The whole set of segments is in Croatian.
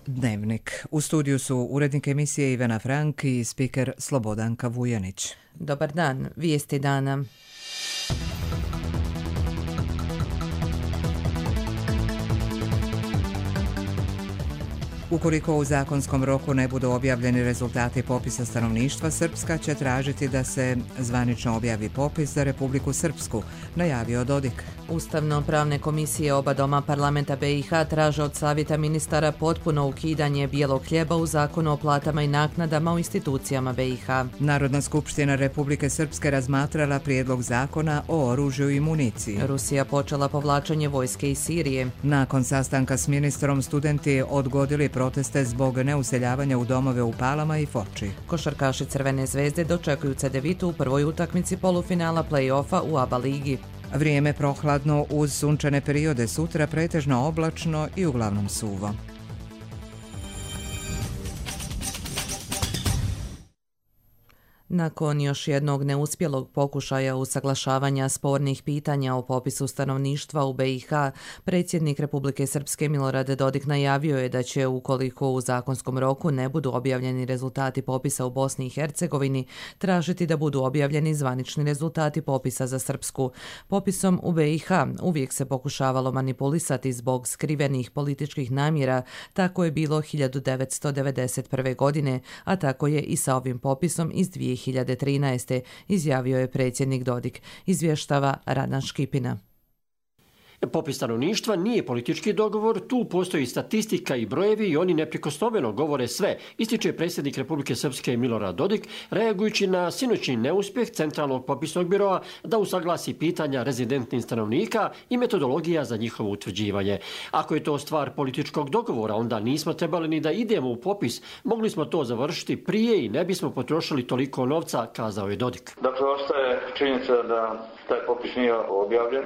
Dnevnik. U studiju su urednik emisije Ivana Frank i spiker Slobodanka Vujanić. Dobar dan, vijesti dana. Ukoliko u zakonskom roku ne budu objavljeni rezultati popisa stanovništva, Srpska će tražiti da se zvanično objavi popis za Republiku Srpsku, najavio Dodik. Ustavno-pravne komisije oba doma parlamenta BiH traže od savjeta ministara potpuno ukidanje bijelog hljeba u zakonu o platama i naknadama u institucijama BiH. Narodna skupština Republike Srpske razmatrala prijedlog zakona o oružju i municiji. Rusija počela povlačenje vojske iz Sirije. Nakon sastanka s ministrom, studenti odgodili proteste zbog neuseljavanja u domove u Palama i Foči. Košarkaši Crvene zvezde dočekuju Cedevitu u prvoj utakmici polufinala play-offa u ABA ligi. Vrijeme prohladno uz sunčane periode, sutra pretežno oblačno i uglavnom suvo. Nakon još jednog neuspjelog pokušaja usaglašavanja spornih pitanja o popisu stanovništva u BiH, predsjednik Republike Srpske Milorad Dodik najavio je da će, ukoliko u zakonskom roku ne budu objavljeni rezultati popisa u Bosni i Hercegovini, tražiti da budu objavljeni zvanični rezultati popisa za Srpsku. Popisom u BiH uvijek se pokušavalo manipulisati zbog skrivenih političkih namjera, tako je bilo 1991. godine, a tako je i sa ovim popisom iz 2013. izjavio je predsjednik Dodik, izvještava Radan Škipina. Popis stanovništva nije politički dogovor, tu postoji statistika i brojevi i oni neprikosnoveno govore sve, ističe predsjednik Republike Srpske Milorad Dodik, reagujući na sinoćni neuspjeh Centralnog popisnog biroa da usaglasi pitanja rezidentnih stanovnika i metodologija za njihovo utvrđivanje. Ako je to stvar političkog dogovora, onda nismo trebali ni da idemo u popis, mogli smo to završiti prije i ne bismo potrošili toliko novca, kazao je Dodik. Dakle, ostaje činjenica da taj popis nije objavljen.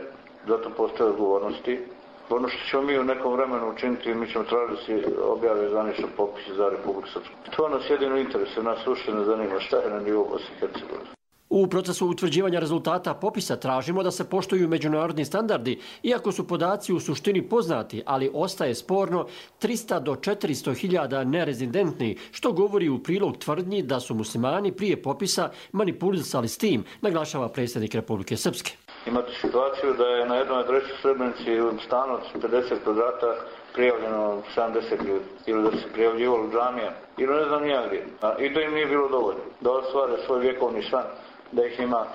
Zato postoje odgovornosti. Ono što ćemo mi u nekom vremenu učiniti, mi ćemo tražiti da se objave zvanično popis za Republiku Srpsku. To nas jedino interesuje, nas uopšte ne zanima šta je na nivou Bosne i Hercegovine. U procesu utvrđivanja rezultata popisa tražimo da se poštuju međunarodni standardi, iako su podaci u suštini poznati, ali ostaje sporno 300 do 400 hiljada nerezidentni, što govori u prilog tvrdnji da su muslimani prije popisa manipulisali s tim, naglašava predsjednik Republike Srpske. Imate situaciju da je na jednoj adresi u Srebrenici u stanu od 50 kvadrata prijavljeno 70 ljudi, ili da se prijavljivalo džamija, ili ne znam nija gdje. I to im nije bilo dovoljno da ostvare svoj vjekovni san, da ih ima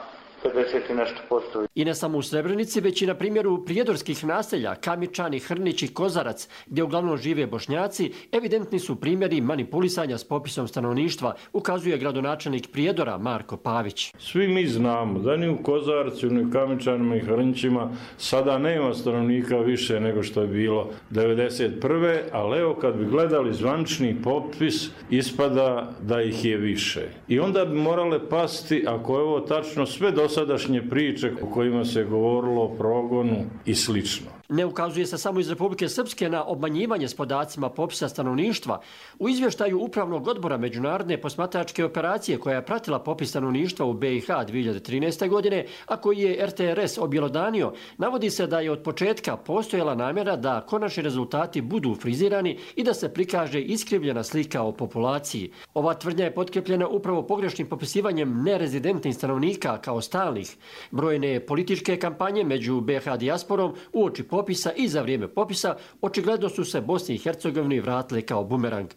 50 i nešto posto. I ne samo u Srebrenici, već i na primjeru prijedorskih naselja, Kamičani, Hrnić i Kozarac, gdje uglavnom žive Bošnjaci, evidentni su primjeri manipulisanja s popisom stanovništva, ukazuje gradonačelnik Prijedora Marko Pavić. Svi mi znamo da ni u Kozarcu, ni u Kamičanima i Hrnićima sada nema stanovnika više nego što je bilo 1991. Ali evo kad bi gledali zvanični popis, ispada da ih je više. I onda bi morale pasti, ako je ovo tačno, sve dosadašnje priče o kojima se govorilo o progonu i slično. Ne ukazuje se samo iz Republike Srpske na obmanjivanje s podacima popisa stanovništva. U izvještaju Upravnog odbora Međunarodne posmatračke operacije koja je pratila popis stanovništva u BiH 2013. godine, a koji je RTRS objelodanio, navodi se da je od početka postojala namjera da konačni rezultati budu frizirani i da se prikaže iskrivljena slika o populaciji. Ova tvrdnja je potkrepljena upravo pogrešnim popisivanjem nerezidentnih stanovnika kao stalnih. Brojne političke kampanje među BiH dijasporom uoči popisa i za vrijeme popisa očigledno su se Bosni i Hercegovini vratile kao bumerang.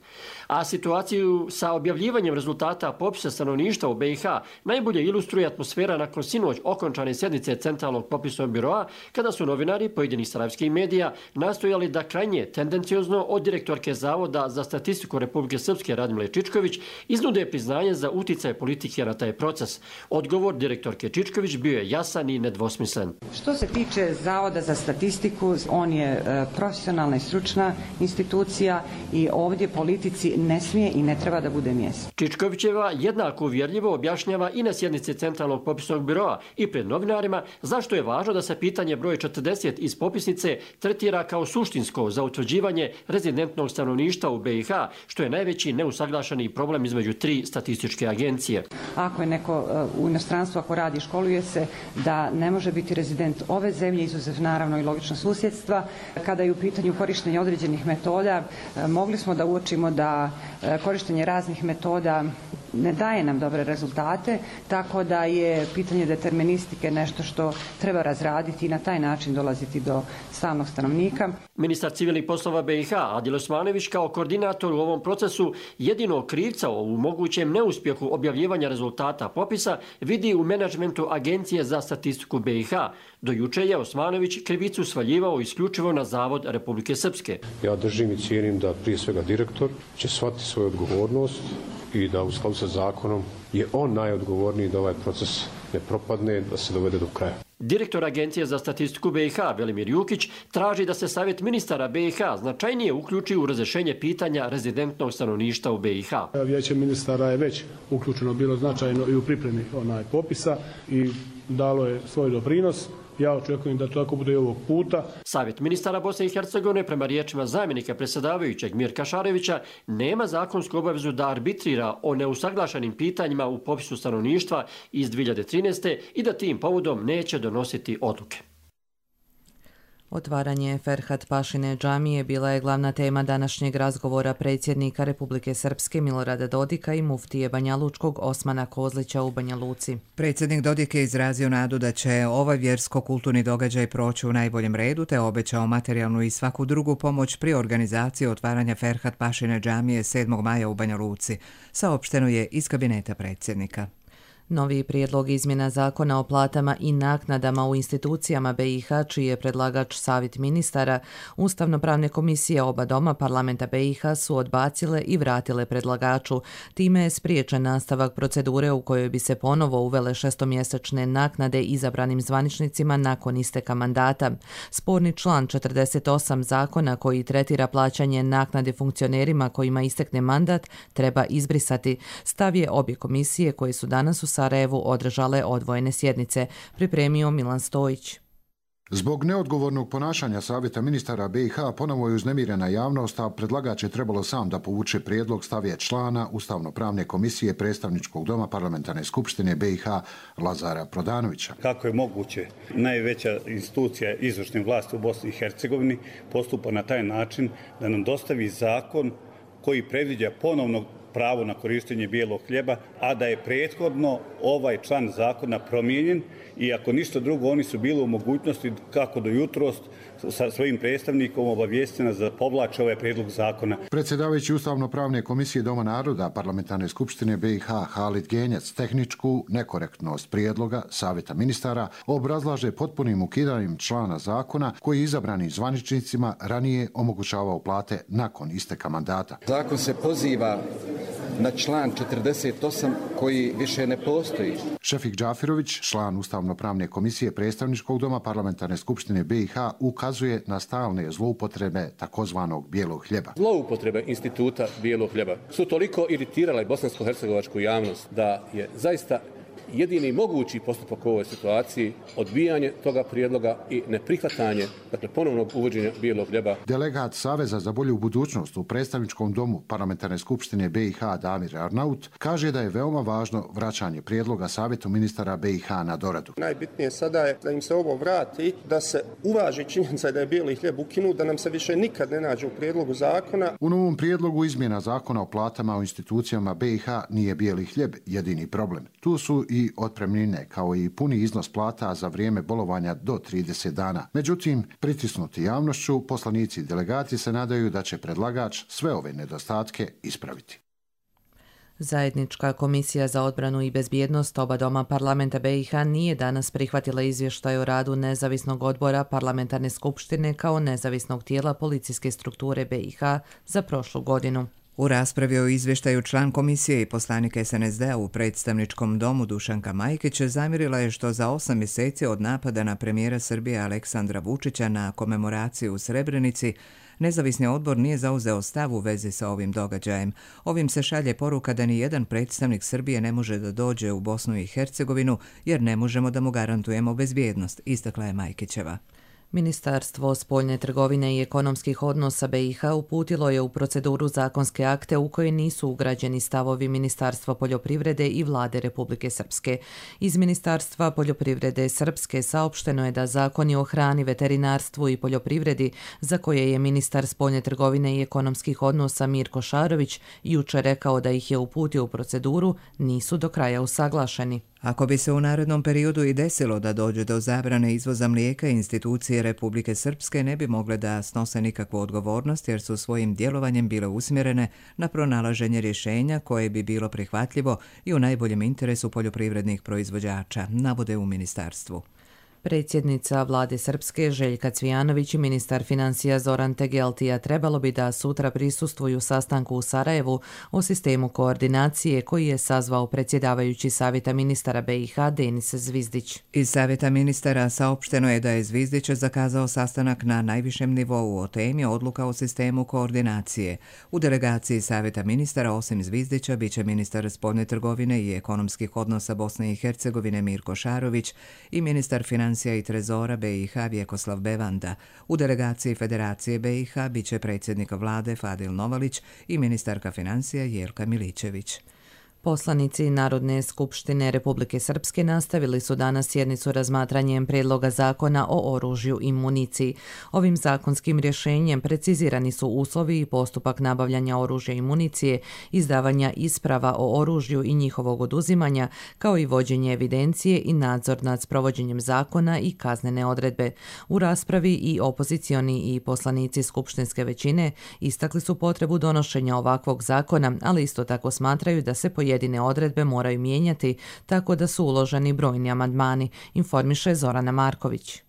A situaciju sa objavljivanjem rezultata popisa stanovništva u BiH najbolje ilustruje atmosfera nakon sinoć okončane sjednice Centralnog popisnog biroa, kada su novinari pojedinih sarajevskih medija nastojali da krajnje tendenciozno od direktorke Zavoda za statistiku Republike Srpske Radmile Čičković iznude priznanje za uticaj politike na taj proces. Odgovor direktorke Čičković bio je jasan i nedvosmislen. Što se tiče Zavoda za statistiku, on je profesionalna i stručna institucija i ovdje politici ne smije i ne treba da bude mjesto. Čičkovićeva jednako uvjerljivo objašnjava i na sjednici Centralnog popisnog biroa i pred novinarima zašto je važno da se pitanje broj 40 iz popisnice tretira kao suštinsko za utvrđivanje rezidentnog stanovništva u BiH, što je najveći neusaglašeni problem između tri statističke agencije. Ako je neko u inostranstvu, ako radi, školuje se, da ne može biti rezident ove zemlje, izuzev naravno i logično susjedstva. Kada je u pitanju korištenje određenih metoda, mogli smo da uočimo da korištenje raznih metoda ne daje nam dobre rezultate, tako da je pitanje deterministike nešto što treba razraditi i na taj način dolaziti do stalnog stanovnika. Ministar civilnih poslova BiH Adil Osmanović kao koordinator u ovom procesu jedinog krivca u mogućem neuspjehu objavljivanja rezultata popisa vidi u menadžmentu Agencije za statistiku BiH. Do juče je Osmanović krivicu svaljivao isključivo na Zavod Republike Srpske. Ja držim i cijenim da prije svega direktor će shvatiti svoju odgovornost i da u skladu sa zakonom je on najodgovorniji da ovaj proces ne propadne, da se dovede do kraja. Direktor Agencije za statistiku BiH Velimir Jukić traži da se Savjet ministara BiH značajnije uključi u razrješenje pitanja rezidentnog stanovništva u BiH. Vijeće ministara je već uključeno bilo značajno i u pripremi popisa i dalo je svoj doprinos. Ja očekujem da to tako bude i ovog puta. Savjet ministara Bosne i Hercegovine, prema riječima zamjenika predsjedavajućeg Mirka Šarevića, nema zakonsku obavezu da arbitrira o neusaglašenim pitanjima u popisu stanovništva iz 2013. i da tim povodom neće donositi odluke. Otvaranje Ferhat Pašine džamije bila je glavna tema današnjeg razgovora predsjednika Republike Srpske Milorada Dodika i muftije Banjalučkog Osmana Kozlića u Banja Luci. Predsjednik Dodik je izrazio nadu da će ovaj vjersko-kulturni događaj proći u najboljem redu, te obećao materijalnu i svaku drugu pomoć pri organizaciji otvaranja Ferhat Pašine džamije 7. maja u Banja Luci. Saopšteno je iz kabineta predsjednika. Novi prijedlog izmjena zakona o platama i naknadama u institucijama BiH, čiji je predlagač Savjet ministara, Ustavno-pravne komisije oba doma parlamenta BiH su odbacile i vratile predlagaču. Time je spriječen nastavak procedure u kojoj bi se ponovo uvele šestomjesečne naknade izabranim zvaničnicima nakon isteka mandata. Sporni član 48 zakona koji tretira plaćanje naknade funkcionerima kojima istekne mandat treba izbrisati. Stav je obje komisije koje su danas u Sarajevu održale odvojene sjednice, pripremio Milan Stojić. Zbog neodgovornog ponašanja Savjeta ministara BiH ponovo je uznemirena javnost, a predlagač je trebalo sam da povuče prijedlog, stav je člana Ustavno-pravne komisije Predstavničkog doma Parlamentarne skupštine BiH Lazara Prodanovića. Kako je moguće najveća institucija izvršne vlasti u Bosni i Hercegovini postupa na taj način da nam dostavi zakon koji predviđa ponovno pravo na korištenje bijelog hljeba, a da je prethodno ovaj član zakona promijenjen i ako ništa drugo oni su bili u mogućnosti kako do jutros sa svojim predstavnikom obavijestiti nas da povlače ovaj prijedlog zakona. Predsjedavajući Ustavno-pravne komisije Doma naroda Parlamentarne skupštine BiH Halid Genjac tehničku nekorektnost prijedloga Savjeta ministara obrazlaže potpunim ukidanjem člana zakona koji izabranim zvaničnicima ranije omogućavao plate nakon isteka mandata. Zakon se poziva na član 48 koji više ne postoji. Šefik Džafirović, član Ustavno-pravne komisije Predstavničkog doma Parlamentarne skupštine BiH, ukazuje na stalne zloupotrebe takozvanog bijelog hljeba. Zloupotrebe instituta bijelog hljeba su toliko iritirale bosansko-hercegovačku javnost da je zaista jedini mogući postupak u ovoj situaciji odbijanje toga prijedloga i neprihvatanje, dakle ponovnog uvođenja bijelog hljeba. Delegat Saveza za bolju budućnost u Predstavničkom domu Parlamentarne skupštine BiH Damir Arnaut kaže da je veoma važno vraćanje prijedloga Savjetu ministara BiH na doradu. Najbitnije sada je da im se ovo vrati, da se uvaži činjenica da je bijeli hljeb ukinut, da nam se više nikad ne nađe u prijedlogu zakona. U novom prijedlogu izmjena zakona o platama u institucijama BiH nije bijeli hljeb jedini problem. Tu su i otpremnine kao i puni iznos plata za vrijeme bolovanja do 30 dana. Međutim, pritisnuti javnošću, poslanici i delegati se nadaju da će predlagač sve ove nedostatke ispraviti. Zajednička komisija za odbranu i bezbjednost oba doma parlamenta BiH nije danas prihvatila izvještaj o radu nezavisnog odbora parlamentarne skupštine kao nezavisnog tijela policijske strukture BiH za prošlu godinu. U raspravi o izvještaju član komisije i poslanik SNSD-a u predstavničkom domu Dušanka Majkić zamjerila je što za 8 mjeseci od napada na premijera Srbije Aleksandra Vučića na komemoraciju u Srebrenici, nezavisni odbor nije zauzeo stav u vezi sa ovim događajem. Ovim se šalje poruka da ni jedan predstavnik Srbije ne može da dođe u Bosnu i Hercegovinu jer ne možemo da mu garantujemo bezbjednost, istakla je Majkićeva. Ministarstvo spoljne trgovine i ekonomskih odnosa BiH uputilo je u proceduru zakonske akte u koje nisu ugrađeni stavovi Ministarstva poljoprivrede i Vlade Republike Srpske. Iz Ministarstva poljoprivrede Srpske saopšteno je da zakoni o hrani, veterinarstvu i poljoprivredi, za koje je ministar spoljne trgovine i ekonomskih odnosa Mirko Šarović jučer rekao da ih je uputio u proceduru, nisu do kraja usaglašeni. Ako bi se u narednom periodu i desilo da dođe do zabrane izvoza mlijeka, institucije Republike Srpske ne bi mogle da snose nikakvu odgovornost jer su svojim djelovanjem bile usmjerene na pronalaženje rješenja koje bi bilo prihvatljivo i u najboljem interesu poljoprivrednih proizvođača, navode u ministarstvu. Predsjednica Vlade Srpske Željka Cvijanović i ministar financija Zoran Tegeltija trebalo bi da sutra prisustvuju sastanku u Sarajevu o sistemu koordinacije koji je sazvao predsjedavajući Savjeta ministara BiH Denis Zvizdić. Iz Savjeta ministara saopšteno je da je Zvizdić zakazao sastanak na najvišem nivou o temi odluka o sistemu koordinacije. U delegaciji Savjeta ministara osim Zvizdića biće ministar spoljne trgovine i ekonomskih odnosa Bosne i Hercegovine Mirko Šarović i ministar financija i trezora BiH Vjekoslav Bevanda. U delegaciji Federacije BiH biće predsjednik vlade Fadil Novalić i ministarka financija Jelka Milićević. Poslanici Narodne skupštine Republike Srpske nastavili su danas sjednicu razmatranjem prijedloga zakona o oružju i municiji. Ovim zakonskim rješenjem precizirani su uslovi i postupak nabavljanja oružja i municije, izdavanja isprava o oružju i njihovog oduzimanja, kao i vođenje evidencije i nadzor nad sprovođenjem zakona i kaznene odredbe. U raspravi i opozicioni i poslanici skupštinske većine istakli su potrebu donošenja ovakvog zakona, ali isto tako smatraju da se pojedine odredbe moraju mijenjati, tako da su uloženi brojni amandmani, informiše Zorana Marković.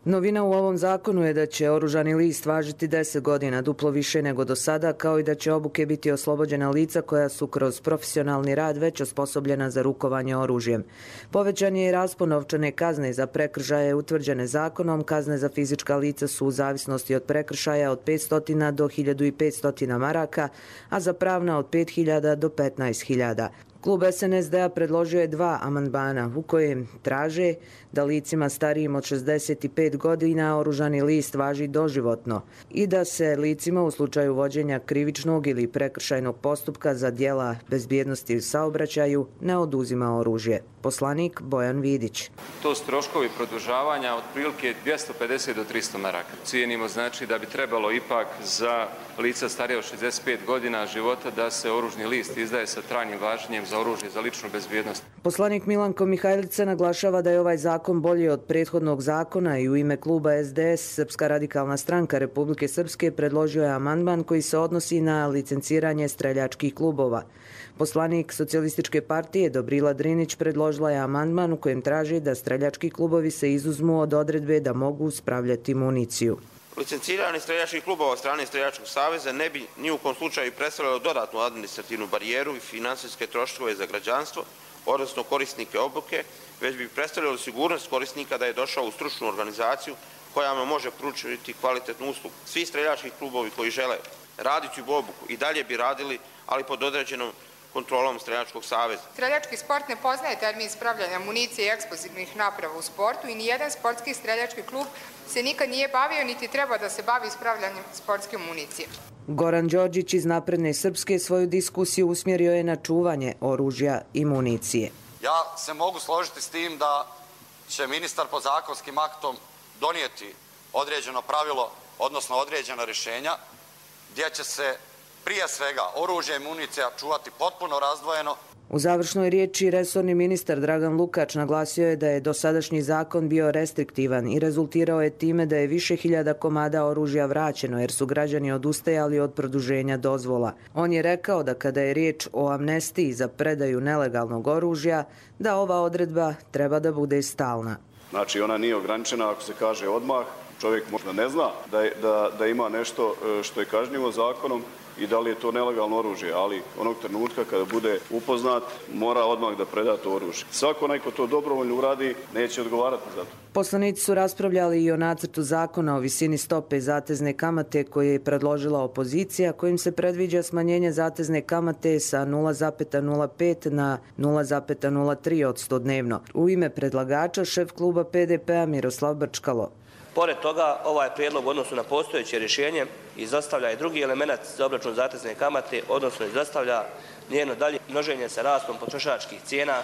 Novina u ovom zakonu je da će oružani list važiti 10 godina, duplo više nego do sada, kao i da će obuke biti oslobođena lica koja su kroz profesionalni rad već osposobljena za rukovanje oružjem. Povećan je i raspon novčane kazne za prekršaje utvrđene zakonom. Kazne za fizička lica su u zavisnosti od prekršaja od 500 do 1500 maraka, a za pravna od 5000 do 15.000. Klub SNSD-a predložio je 2 amandmana u kojem traže da licima starijim od 65 godina oružani list važi doživotno i da se licima u slučaju vođenja krivičnog ili prekršajnog postupka za djela bezbjednosti u saobraćaju ne oduzima oružje. Poslanik Bojan Vidić. To su troškovi produžavanja otprilike 250 do 300 maraka. Cijenimo znači da bi trebalo ipak za lica starije od 65 godina života da se oružni list izdaje sa trajnim važenjem za oružje za ličnu bezbjednost. Poslanik Milanko Mihajlica naglašava da je ovaj zakon bolji od prethodnog zakona i u ime kluba SDS Srpska radikalna stranka Republike Srpske predložio je amandman koji se odnosi na licenciranje streljačkih klubova. Poslanik Socijalističke partije Dobrila Drinić predložila je amandman u kojem traži da streljački klubovi se izuzmu od odredbe da mogu spravljati municiju. Licenciranje streljačkih klubova od strane Streljačkog saveza ne bi ni u kom slučaju predstavljalo dodatnu administrativnu barijeru i finansijske troškove za građanstvo, odnosno korisnike obuke, već bi predstavljalo sigurnost korisnika da je došao u stručnu organizaciju koja mu može pružiti kvalitetnu uslugu. Svi streljački klubovi koji žele raditi u obuku i dalje bi radili, ali pod određenom kontrolom Streljačkog saveza. Streljački sport ne poznaje termin spravljanja municije i eksplozivnih naprava u sportu i nijedan sportski streljački klub se nikad nije bavio niti treba da se bavi spravljanjem sportske municije. Goran Đorđić iz Napredne Srpske svoju diskusiju usmjerio je na čuvanje oružja i municije. Ja se mogu složiti s tim da će ministar pod zakonskim aktom donijeti određeno pravilo, odnosno određena rješenja, gdje će se prije svega oružje i municija čuvati potpuno razdvojeno. U završnoj riječi resorni ministar Dragan Lukač naglasio je da je dosadašnji zakon bio restriktivan i rezultirao je time da je više hiljada komada oružja vraćeno jer su građani odustajali od produženja dozvola. On je rekao da kada je riječ o amnestiji za predaju nelegalnog oružja, da ova odredba treba da bude stalna. Znači ona nije ograničena ako se kaže odmah. Čovjek možda ne zna da ima nešto što je kažnjivo zakonom i da li je to nelegalno oružje, ali onog trenutka kada bude upoznat mora odmah da preda to oružje. Svako onaj ko to dobrovoljno uradi neće odgovarati za to. Poslanici su raspravljali i o nacrtu zakona o visini stope zatezne kamate koje je predložila opozicija, kojim se predviđa smanjenje zatezne kamate sa 0,05 na 0,03% dnevno. U ime predlagača šef kluba PDP-a Miroslav Brčkalo. Pored toga, ovaj prijedlog u odnosu na postojeće rješenje izostavlja i drugi element za obračun zatezne kamate, odnosno izostavlja njeno dalje množenje sa rastom potrošačkih cijena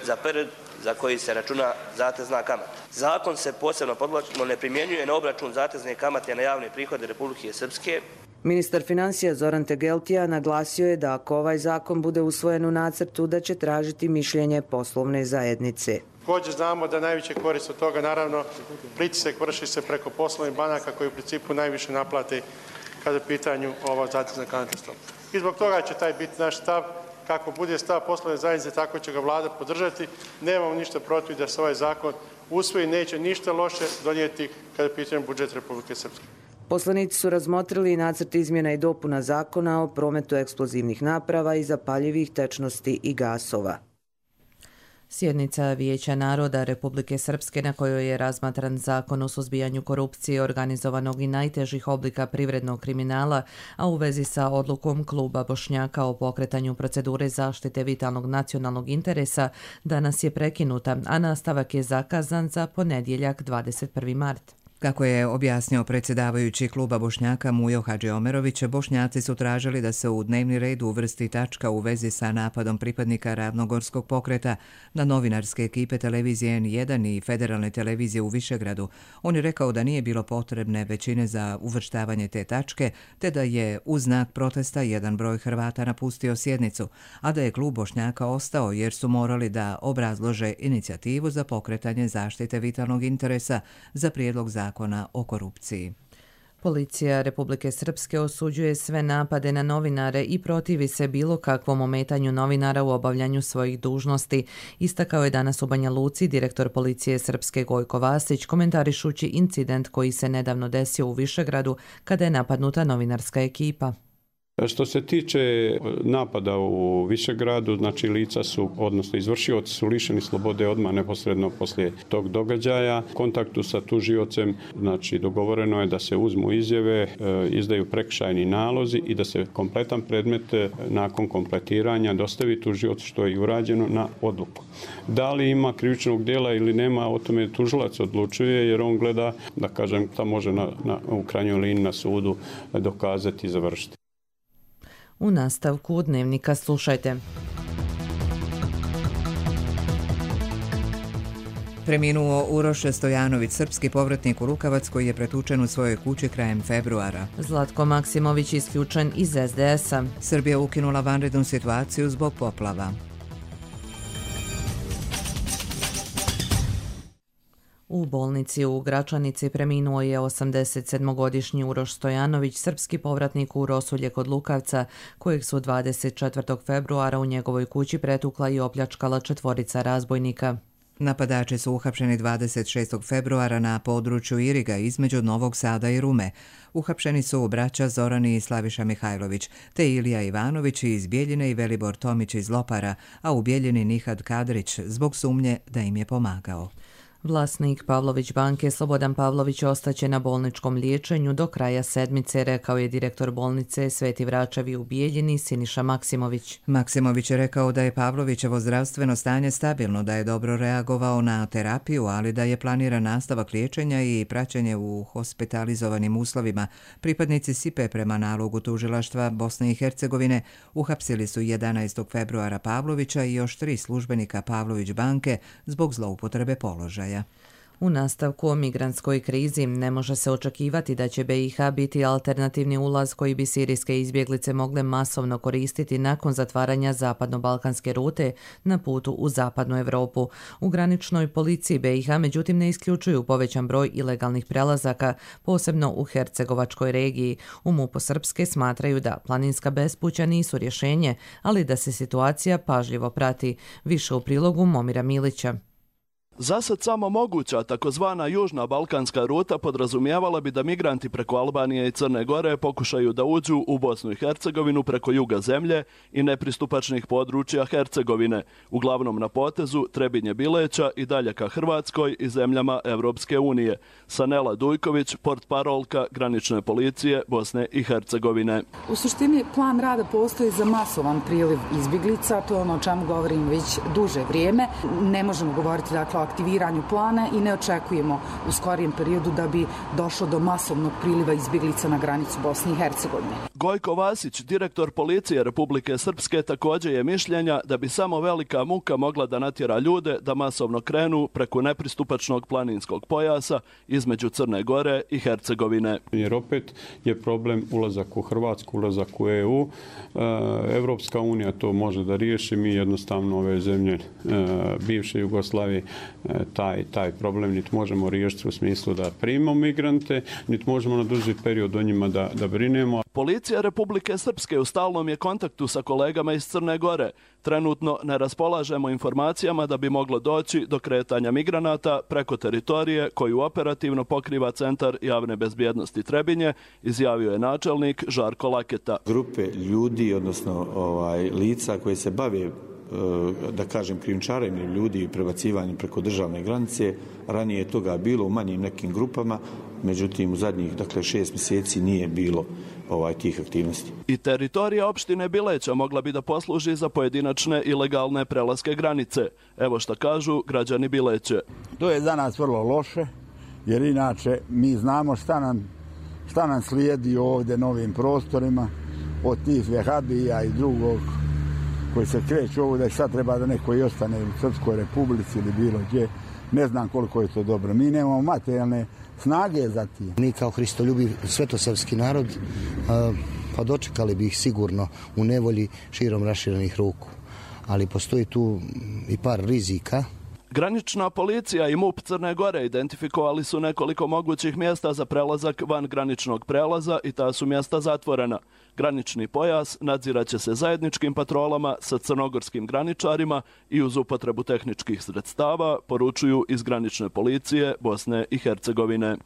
za period za koji se računa zatezna kamata. Zakon se posebno podvlačimo ne primjenjuje na obračun zatezne kamate na javne prihode Republike Srpske. Ministar financija Zoran Tegeltija naglasio je da ako ovaj zakon bude usvojen u nacrtu, da će tražiti mišljenje poslovne zajednice. Također znamo da najveće korist od toga, naravno, pritisak vrši se preko poslovnih banaka koji u principu najviše naplate kada je u pitanju ova zatezna kamatna stopa. I zbog toga će taj biti naš stav. Kako bude stav poslovne zajednice, tako će ga vlada podržati. Nemamo ništa protiv da se ovaj zakon usvoji, neće ništa loše donijeti kada je u pitanju budžet Republike Srpske. Poslanici su razmotrili i nacrt izmjena i dopuna zakona o prometu eksplozivnih naprava i zapaljivih tečnosti i gasova. Sjednica Vijeća naroda Republike Srpske na kojoj je razmatran zakon o suzbijanju korupcije, organizovanog i najtežih oblika privrednog kriminala, a u vezi sa odlukom Kluba Bošnjaka o pokretanju procedure zaštite vitalnog nacionalnog interesa, danas je prekinuta, a nastavak je zakazan za ponedjeljak 21. mart. Kako je objasnio predsjedavajući Kluba Bošnjaka Mujo Hadžiomerović, Bošnjaci su tražili da se u dnevni red uvrsti tačka u vezi sa napadom pripadnika Ravnogorskog pokreta na novinarske ekipe televizije N1 i federalne televizije u Višegradu. On je rekao da nije bilo potrebne većine za uvrštavanje te tačke, te da je u znak protesta jedan broj Hrvata napustio sjednicu, a da je Klub Bošnjaka ostao jer su morali da obrazlože inicijativu za pokretanje zaštite vitalnog interesa za prijedlog zakona o korupciji. Policija Republike Srpske osuđuje sve napade na novinare i protivi se bilo kakvom ometanju novinara u obavljanju svojih dužnosti, istakao je danas u Banja Luci direktor policije Srpske Gojko Vasić, komentarišući incident koji se nedavno desio u Višegradu kada je napadnuta novinarska ekipa. Što se tiče napada u Višegradu, znači lica su, odnosno izvršioci su lišeni slobode odmah neposredno poslije tog događaja. U kontaktu sa tužiocem, znači dogovoreno je da se uzmu izjave, izdaju prekršajni nalozi i da se kompletan predmet nakon kompletiranja dostavi tužiocu, što je i urađeno na odluku. Da li ima krivičnog djela ili nema, o tome tužilac odlučuje jer on gleda, da kažem, šta može u krajnjoj liniji na sudu dokazati i završiti. U nastavku Dnevnika slušajte. Preminuo Uroš Stojanović, srpski povratnik u Lukavac koji je pretučen u svojoj kući krajem februara. Zlatko Maksimović isključen iz SDS-a. Srbija ukinula vanrednu situaciju zbog poplava. U bolnici u Gračanici preminuo je 87-godišnji Uroš Stojanović, srpski povratnik u Rosulje kod Lukavca, kojeg su 24. februara u njegovoj kući pretukla i opljačkala 4 razbojnika. Napadači su uhapšeni 26. februara na području Iriga između Novog Sada i Rume. Uhapšeni su braća Zorani i Slaviša Mihajlović, te Ilija Ivanović iz Bjeljine i Velibor Tomić iz Lopara, a u Bjeljini Nihad Kadrić zbog sumnje da im je pomagao. Vlasnik Pavlović banke Slobodan Pavlović ostaće na bolničkom liječenju do kraja sedmice, rekao je direktor bolnice Sveti Vračevi u Bijeljini Siniša Maksimović. Maksimović je rekao da je Pavlovićevo zdravstveno stanje stabilno, da je dobro reagovao na terapiju, ali da je planiran nastavak liječenja i praćenje u hospitalizovanim uslovima. Pripadnici SIPE prema nalogu tužilaštva Bosne i Hercegovine uhapsili su 11. februara Pavlovića i još 3 službenika Pavlović banke zbog zloupotrebe položaja. U nastavku o migrantskoj krizi ne može se očekivati da će BiH biti alternativni ulaz koji bi sirijske izbjeglice mogle masovno koristiti nakon zatvaranja zapadno-balkanske rute na putu u zapadnu Evropu. U graničnoj policiji BiH međutim ne isključuju povećan broj ilegalnih prelazaka, posebno u Hercegovačkoj regiji. U MUP-u Srpske smatraju da planinska bespuća nisu rješenje, ali da se situacija pažljivo prati. Više u prilogu Momira Milića. Zasad samo moguća takozvana južna balkanska ruta podrazumijevala bi da migranti preko Albanije i Crne Gore pokušaju da uđu u Bosnu i Hercegovinu preko juga zemlje i nepristupačnih područja Hercegovine, uglavnom na potezu Trebinje-Bileća i dalje ka Hrvatskoj i zemljama Evropske unije. Sanela Dujković, portparolka granične policije Bosne i Hercegovine. U suštini plan rada postoji za masovan priliv izbjeglica, to je ono o čemu govorim već duže vrijeme. Ne možemo govoriti dakle o aktiviranju plana i ne očekujemo u skorijem periodu da bi došlo do masovnog priliva izbjeglica na granicu Bosne i Hercegovine. Gojko Vasić, direktor policije Republike Srpske, također je mišljenja da bi samo velika muka mogla da natjera ljude da masovno krenu preko nepristupačnog planinskog pojasa između Crne Gore i Hercegovine. Jer opet je problem ulazak u Hrvatsku, ulazak u EU. Evropska unija to može da riješi, mi jednostavno ove zemlje bivše Jugoslavije taj problem niti možemo riješiti u smislu da primamo migrante, niti možemo na duži period o njima da brinemo. Policija Republike Srpske u stalnom je kontaktu sa kolegama iz Crne Gore. Trenutno ne raspolažemo informacijama da bi moglo doći do kretanja migranata preko teritorije koju operativno pokriva Centar javne bezbjednosti Trebinje, izjavio je načelnik Žarko Laketa. Grupe ljudi, odnosno lica koje se bave, da kažem, krijumčarenjem ljudi i prebacivanjem preko državne granice, ranije je toga bilo u manjim nekim grupama, međutim u zadnjih 6 mjeseci nije bilo tih aktivnosti. I teritorija opštine Bileća mogla bi da posluži za pojedinačne ilegalne prelaske granice. Evo što kažu građani Bileće. To je za nas vrlo loše, jer inače mi znamo šta nam slijedi ovdje na ovim prostorima od tih vehabija i drugog koji se kreću ovdje i sad treba da neko i ostane u Srpskoj Republici ili bilo gdje. Ne znam koliko je to dobro. Mi nemamo materijalne snage za tim. Mi kao hristoljubiv svetosrpski narod pa dočekali bi ih sigurno u nevolji širom raširenih ruku. Ali postoji tu i par rizika. Granična policija i MUP Crne Gore identifikovali su nekoliko mogućih mjesta za prelazak van graničnog prelaza i ta su mjesta zatvorena. Granični pojas nadziraće se zajedničkim patrolama sa crnogorskim graničarima i uz upotrebu tehničkih sredstava, poručuju iz granične policije Bosne i Hercegovine.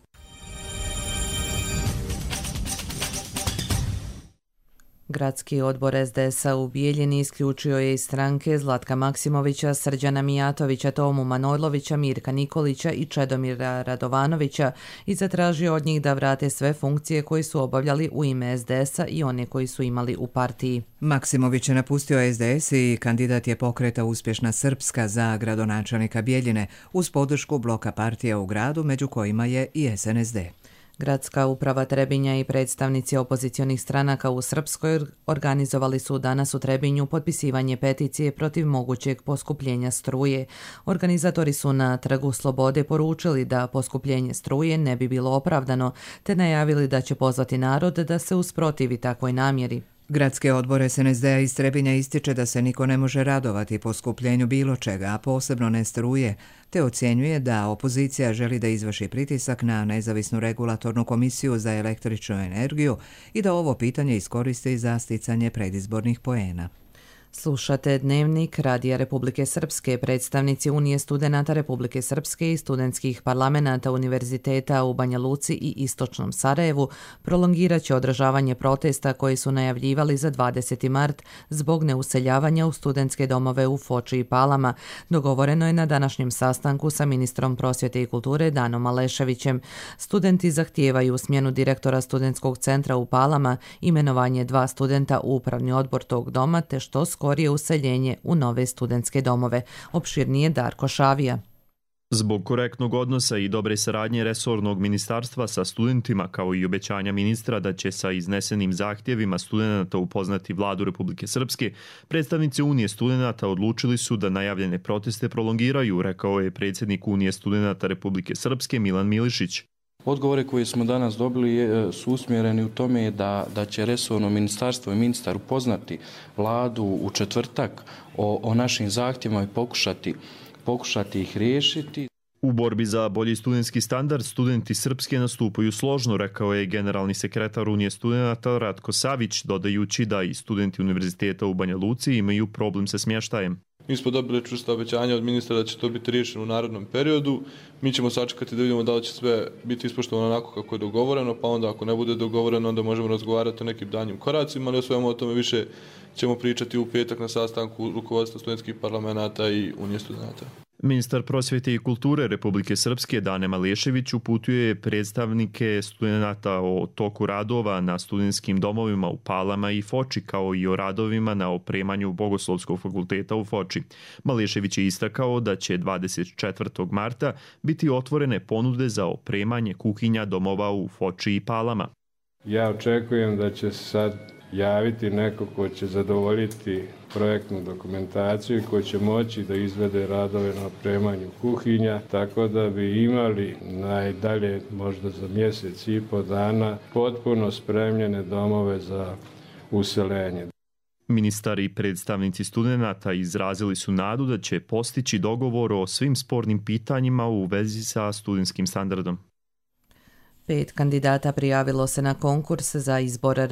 Gradski odbor SDS-a u Bijeljini isključio je iz stranke Zlatka Maksimovića, Srđana Mijatovića, Tomu Manojlovića, Mirka Nikolića i Čedomira Radovanovića i zatražio od njih da vrate sve funkcije koje su obavljali u ime SDS-a i one koji su imali u partiji. Maksimović je napustio SDS i kandidat je pokreta Uspješna Srpska za gradonačelnika Bijeljine uz podršku bloka partija u gradu, među kojima je i SNSD. Gradska uprava Trebinja i predstavnici opozicionih stranaka u Srpskoj organizovali su danas u Trebinju potpisivanje peticije protiv mogućeg poskupljenja struje. Organizatori su na Trgu Slobode poručili da poskupljenje struje ne bi bilo opravdano, te najavili da će pozvati narod da se usprotivi takvoj namjeri. Gradski odbor SNSD-a iz Trebinja ističe da se niko ne može radovati poskupljenju bilo čega, a posebno ne struje, te ocjenjuje da opozicija želi da izvrši pritisak na nezavisnu regulatornu komisiju za električnu energiju i da ovo pitanje iskoristi za sticanje predizbornih poena. Slušate Dnevnik Radija Republike Srpske. Predstavnici Unije studenata Republike Srpske i studentskih parlamenata univerziteta u Banja Luci i Istočnom Sarajevu prolongirat će održavanje protesta koji su najavljivali za 20. mart zbog neuseljavanja u studentske domove u Foči i Palama. Dogovoreno je na današnjem sastanku sa ministrom prosvjete i kulture Danom Aleševićem. Studenti zahtijevaju smjenu direktora studentskog centra u Palama, imenovanje 2 studenta u upravni odbor tog doma, te što skorije useljenje u nove studentske domove. Opširnije Darko Šavija. Zbog korektnog odnosa i dobre saradnje resornog ministarstva sa studentima, kao i obećanja ministra da će sa iznesenim zahtjevima studenata upoznati vladu Republike Srpske, predstavnici Unije studenata odlučili su da najavljene proteste prolongiraju, rekao je predsjednik Unije studenata Republike Srpske Milan Milišić. Odgovore koje smo danas dobili su usmjereni u tome da će resorno ministarstvo i ministar upoznati vladu u četvrtak o našim zahtjevima i pokušati ih riješiti. U borbi za bolji studentski standard studenti Srpske nastupaju složno, rekao je generalni sekretar Unije studenata Ratko Savić, dodajući da i studenti univerziteta u Banja Luci imaju problem sa smještajem. Mi smo dobili čvrsta obećanja od ministra da će to biti riješeno u narednom periodu. Mi ćemo sačekati da vidimo da li će sve biti ispoštovano onako kako je dogovoreno, pa onda ako ne bude dogovoreno, onda možemo razgovarati o nekim danjim koracima, ali o svemu o tome više ćemo pričati u petak na sastanku rukovodstva studentskih parlamenata i Unije studenata. Ministar prosvjete i kulture Republike Srpske Dane Malešević uputio je predstavnike studenata o toku radova na studentskim domovima u Palama i Foči, kao i o radovima na opremanju Bogoslovskog fakulteta u Foči. Malešević je istakao da će 24. marta biti otvorene ponude za opremanje kuhinja domova u Foči i Palama. Ja očekujem da će sad javiti neko ko će zadovoljiti projektnu dokumentaciju i ko će moći da izvede radove na opremanju kuhinja, tako da bi imali najdalje možda za mjesec i po dana potpuno spremljene domove za useljenje. Ministar i predstavnici studenata izrazili su nadu da će postići dogovor o svim spornim pitanjima u vezi sa studentskim standardom. 5 kandidata prijavilo se na konkurs za izbor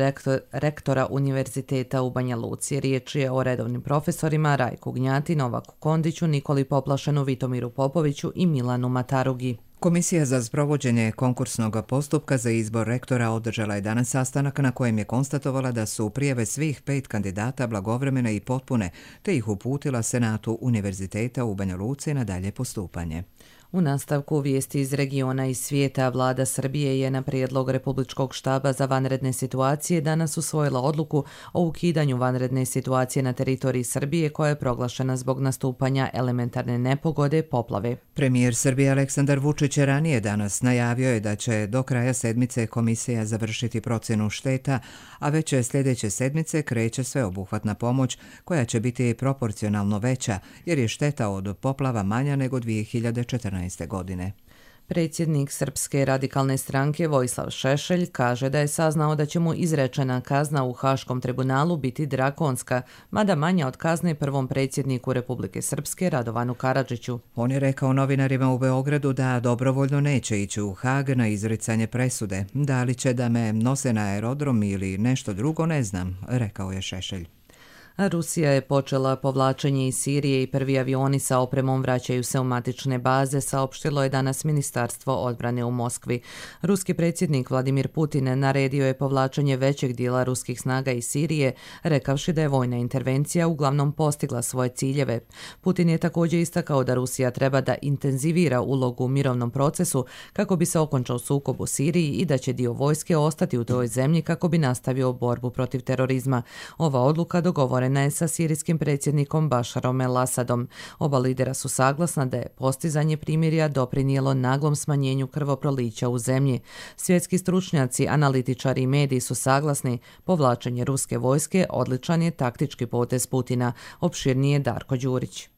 rektora Univerziteta u Banja Luci. Riječ je o redovnim profesorima Rajku Gnjati, Novaku Kondiću, Nikoli Poplašenu, Vitomiru Popoviću i Milanu Matarugi. Komisija za sprovođenje konkursnog postupka za izbor rektora održala je danas sastanak na kojem je konstatovala da su prijave svih 5 kandidata blagovremene i potpune, te ih uputila Senatu Univerziteta u Banja Luci na dalje postupanje. U nastavku vijesti iz regiona i svijeta, vlada Srbije je na prijedlog Republičkog štaba za vanredne situacije danas usvojila odluku o ukidanju vanredne situacije na teritoriji Srbije koja je proglašena zbog nastupanja elementarne nepogode poplave. Premijer Srbije Aleksandar Vučić je ranije danas najavio je da će do kraja sedmice komisija završiti procjenu šteta, a već sljedeće sedmice kreće sveobuhvatna pomoć koja će biti proporcionalno veća jer je šteta od poplava manja nego 2014. godine. Predsjednik Srpske radikalne stranke Vojislav Šešelj kaže da je saznao da će mu izrečena kazna u Haškom tribunalu biti drakonska, mada manja od kazne prvom predsjedniku Republike Srpske Radovanu Karadžiću. On je rekao novinarima u Beogradu da dobrovoljno neće ići u Hag na izricanje presude. Da li će da me nose na aerodrom ili nešto drugo ne znam, rekao je Šešelj. Rusija je počela povlačenje iz Sirije i prvi avioni sa opremom vraćaju se u matične baze, saopštilo je danas Ministarstvo odbrane u Moskvi. Ruski predsjednik Vladimir Putin naredio je povlačenje većeg dijela ruskih snaga iz Sirije, rekavši da je vojna intervencija uglavnom postigla svoje ciljeve. Putin je također istakao da Rusija treba da intenzivira ulogu u mirovnom procesu kako bi se okončao sukob u Siriji i da će dio vojske ostati u toj zemlji kako bi nastavio borbu protiv terorizma. Ova odluka dogovorena je sa sirijskim predsjednikom Bašarom el-Asadom. Oba lidera su saglasna da je postizanje primirja doprinijelo naglom smanjenju krvoprolića u zemlji. Svjetski stručnjaci, analitičari i mediji su saglasni. Povlačenje ruske vojske odličan je taktički potez Putina. Opširnije Darko Đurić.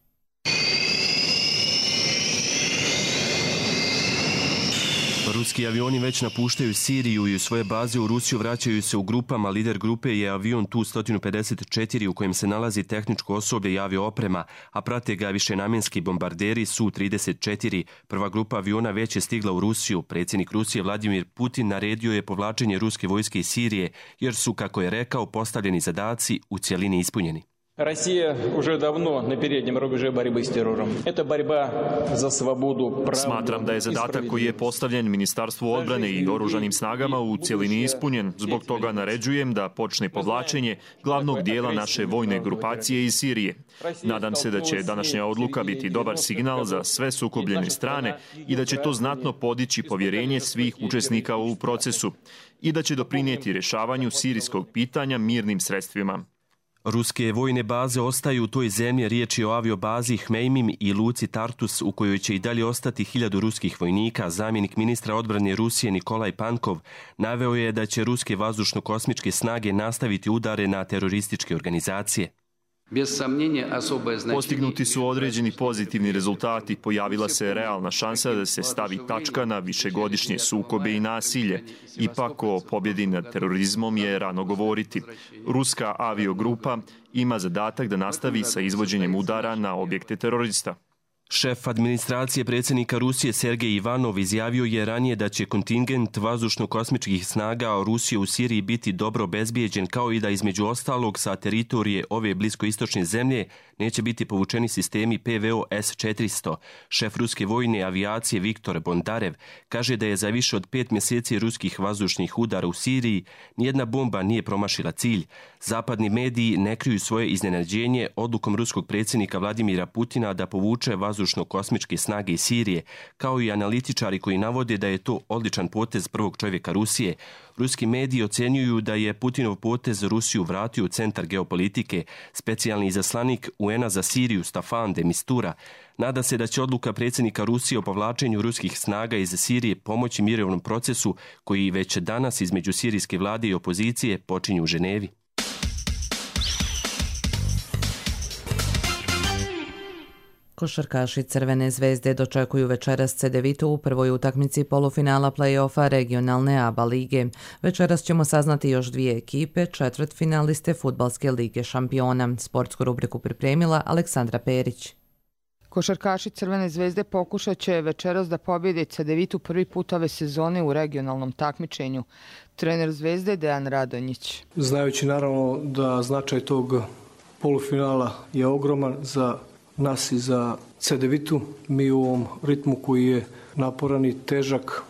Ruski avioni već napuštaju Siriju i u svoje baze u Rusiju vraćaju se u grupama. Lider grupe je avion Tu-154 u kojem se nalazi tehničko osoblje i avio-oprema, a prate ga višenamjenski bombarderi Su-34. Prva grupa aviona već je stigla u Rusiju. Predsjednik Rusije Vladimir Putin naredio je povlačenje ruske vojske iz Sirije, jer su, kako je rekao, postavljeni zadaci u cjelini ispunjeni. Россия уже давно на переднем рубеже борьбы с террором. Это борьба за свободу, правду. Smatram da je zadatak koji je postavljen Ministarstvu odbrane i oružanim snagama u cjelini ispunjen. Zbog toga naređujem da počne povlačenje glavnog dijela naše vojne grupacije iz Sirije. Nadam se da će današnja odluka biti dobar signal za sve sukobljene strane i da će to znatno podići povjerenje svih učesnika u procesu i da će doprinijeti rješavanju sirijskog pitanja mirnim sredstvima. Ruske vojne baze ostaju u toj zemlji, riječ je o aviobazi Hmeimim i luci Tartus u kojoj će i dalje ostati 1000 ruskih vojnika. Zamjenik ministra odbrane Rusije Nikolaj Pankov naveo je da će ruske vazdušno-kosmičke snage nastaviti udare na terorističke organizacije. Postignuti su određeni pozitivni rezultati, pojavila se realna šansa da se stavi tačka na višegodišnje sukobe i nasilje. Ipak o pobjedi nad terorizmom je rano govoriti. Ruska aviogrupa ima zadatak da nastavi sa izvođenjem udara na objekte terorista. Šef administracije predsjednika Rusije Sergej Ivanov izjavio je ranije da će kontingent vazdušno-kosmičkih snaga Rusije u Siriji biti dobro obezbijeđen, kao i da između ostalog sa teritorije ove bliskoistočne zemlje neće biti povučeni sistemi PVO S-400. Šef ruske vojne avijacije Viktor Bondarev kaže da je za više od 5 mjeseci ruskih vazdušnih udara u Siriji nijedna bomba nije promašila cilj. Zapadni mediji ne kriju svoje iznenađenje odlukom ruskog predsjednika Vladimira Putina da povuče vazdušno-kosmičke snage iz Sirije, kao i analitičari koji navode da je to odličan potez prvog čovjeka Rusije. Ruski mediji ocjenjuju da je Putinov potez Rusiju vratio u centar geopolitike. Specijalni izaslanik UN-a za Siriju Staffan de Mistura nada se da će odluka predsjednika Rusije o povlačenju ruskih snaga iz Sirije pomoći mirovnom procesu koji već danas između sirijske vlade i opozicije počinju u Ženevi. Košarkaši Crvene zvezde dočekuju večeras Cedevitu u prvoj utakmici polufinala play-offa regionalne ABA lige. Večeras ćemo saznati još 2 ekipe, četvrtfinaliste Fudbalske lige šampiona. Sportsku rubriku pripremila Aleksandra Perić. Košarkaši Crvene zvezde pokušat će večeras da pobjede Cedevitu prvi put ove sezone u regionalnom takmičenju. Trener Zvezde Dejan Radonjić. Znajući naravno da značaj tog polufinala je ogroman za nas i za Cedevitu, mi u ovom ritmu koji je naporan i težak,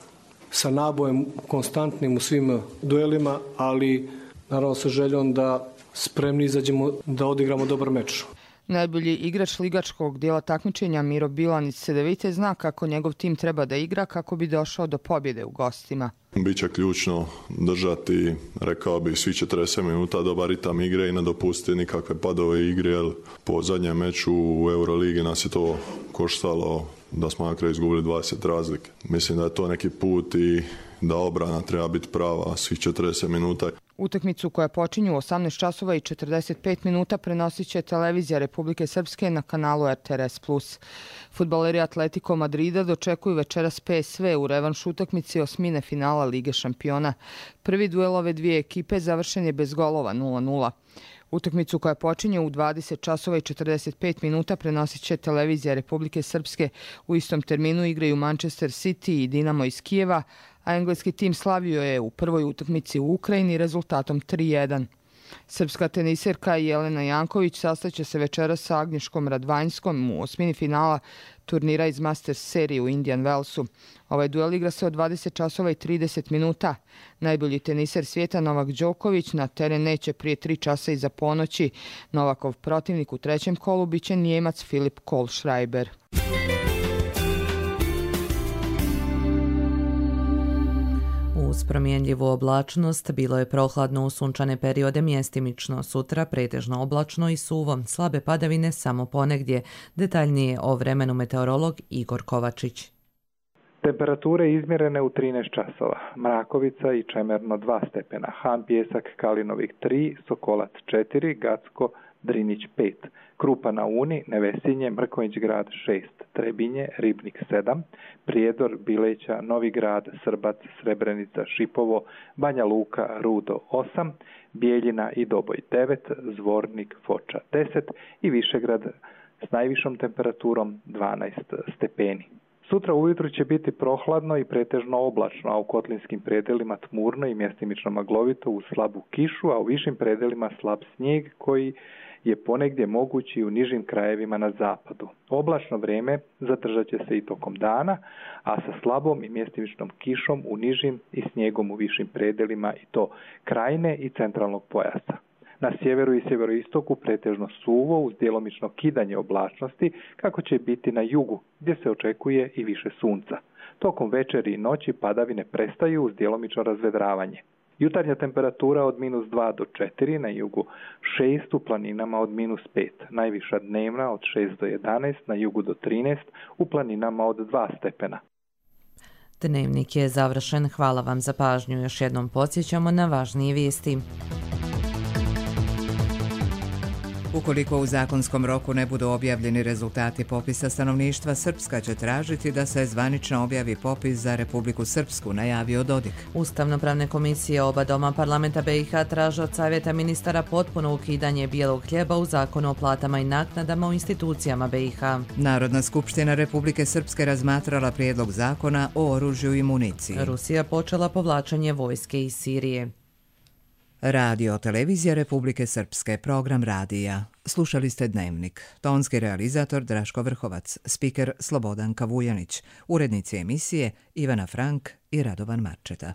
sa nabojem konstantnim u svim duelima, ali naravno sa željom da spremni izađemo da odigramo dobar meč. Najbolji igrač ligačkog dijela takmičenja Miro Bilan iz Cedevite zna kako njegov tim treba da igra kako bi došao do pobjede u gostima. Biće ključno držati, rekao bi, svi 40 minuta dobar ritam igre i ne dopustiti nikakve padove igre, jer po zadnjem meču u Euroligi nas je to koštalo da smo na kraju izgubili 20 razlike. Mislim da je to neki put i da obrana treba biti prava svih 40 minuta. Utakmicu koja počinju u 18 časova i 45 minuta prenosit će televizija Republike Srpske na kanalu RTRS+. Fudbaleri Atletico Madrida dočekuju večeras PSV u revanš utakmici osmine finala Lige šampiona. Prvi duel ove dvije ekipe završen je bez golova 0-0. Utakmicu koja počinje u 20 časova i 45 minuta prenosit će televizija Republike Srpske. U istom terminu igraju Manchester City i Dinamo iz Kijeva, a engleski tim slavio je u prvoj utakmici u Ukrajini rezultatom 3-1. Srpska teniserka Jelena Janković sastaće se večeras sa Agnješkom Radvanjskom u osmini finala turnira iz Masters serije u Indian Wellsu. Ovaj duel igra se od 20 časova i 30 minuta. Najbolji teniser svijeta Novak Đoković na teren neće prije 3 časa iza ponoći. Novakov protivnik u trećem kolu biće Njemac Filip Kohlschreiber. Uz promjenljivu oblačnost bilo je prohladno u sunčane periode mjestimično, sutra pretežno oblačno i suvo, slabe padavine samo ponegdje. Detaljnije o vremenu meteorolog Igor Kovačić. Temperature izmjerene u 13 časova, Mrakovica i Čemerno 2 stepena, Han Pjesak Kalinovik 3, Sokolac 4, Gacko Drinić 5, Krupa na Uni, Nevesinje, Mrkonjić grad 6, Trebinje, Ribnik 7, Prijedor, Bileća, Novi grad, Srbac, Srebrenica, Šipovo, Banja Luka, Rudo 8, Bijeljina i Doboj 9, Zvornik, Foča 10 i Višegrad s najvišom temperaturom 12 stepeni. Sutra ujutru će biti prohladno i pretežno oblačno, a u kotlinskim predelima tmurno i mjestimično maglovito uz slabu kišu, a u višim predelima slab snijeg koji je ponegdje mogući i u nižim krajevima na zapadu. Oblačno vrijeme zadržat će se i tokom dana, a sa slabom i mjestimičnom kišom u nižim i snijegom u višim predelima i to krajine i centralnog pojasa. Na sjeveru i sjeveroistoku pretežno suvo uz djelomično kidanje oblačnosti, kako će biti na jugu, gdje se očekuje i više sunca. Tokom večeri i noći padavine prestaju uz djelomično razvedravanje. Jutarnja temperatura od -2 do 4, na jugu 6, u planinama od -5. Najviša dnevna od 6 do 11, na jugu do 13, u planinama od 2 stepena. Dnevnik je završen. Hvala vam za pažnju. Još jednom podsjećamo na važnije vijesti. Ukoliko u zakonskom roku ne budu objavljeni rezultati popisa stanovništva, Srpska će tražiti da se zvanično objavi popis za Republiku Srpsku, najavio Dodik. Ustavno-pravne komisije oba doma parlamenta BiH traže od Savjeta ministara potpuno ukidanje bijelog hljeba u zakonu o platama i naknadama u institucijama BiH. Narodna skupština Republike Srpske razmatrala prijedlog zakona o oružju i municiji. Rusija počela povlačenje vojske iz Sirije. Radio televizija Republike Srpske, program radija. Slušali ste Dnevnik. Tonski realizator Draško Vrhovac, spiker Slobodanka Vujanić, urednici emisije Ivana Frank i Radovan Marčeta.